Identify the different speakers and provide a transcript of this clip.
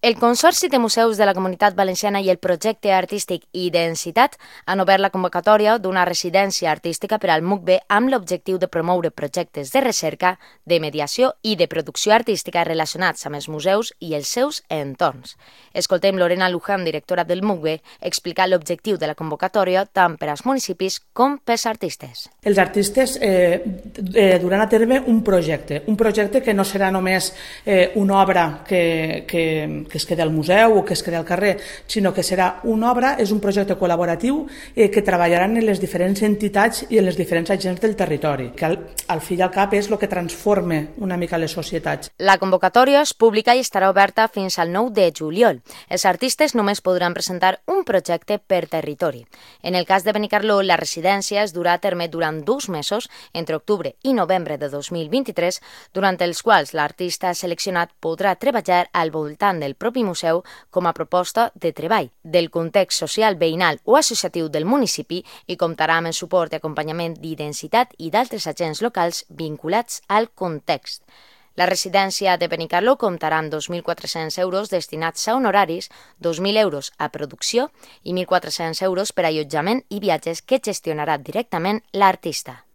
Speaker 1: El Consorci de Museus de la Comunitat Valenciana i el projecte artístic Identitat han obert la convocatòria d'una residència artística per al MUCB amb l'objectiu de promoure projectes de recerca, de mediació i de producció artística relacionats amb els museus i els seus entorns. Escoltem Lorena Luján, directora del MUCB, explicar l'objectiu de la convocatòria tant per als municipis com pels artistes.
Speaker 2: Els artistes duran a terme un projecte que no serà només una obra que es queda al museu o que es queda al carrer, sinó que serà una obra, és un projecte col·laboratiu que treballaran en les diferents entitats i en les diferents agents del territori, que al fi i al cap és el que transforma una mica les societats.
Speaker 1: La convocatòria és pública i estarà oberta fins al 9 de juliol. Els artistes només podran presentar un projecte per territori. En el cas de Benicarló, la residència es durà a terme durant 2 mesos, entre octubre i novembre de 2023, durant els quals l'artista seleccionat podrà treballar al voltant del propi museu com a proposta de treball, del context social, veïnal o associatiu del municipi i comptarà amb el suport i acompanyament d'Identitat i d'altres agents locals vinculats al context. La residència de Benicarló comptarà amb 2.400 euros destinats a honoraris, 2.000 euros a producció i 1.400 euros per a allotjament i viatges que gestionarà directament l'artista.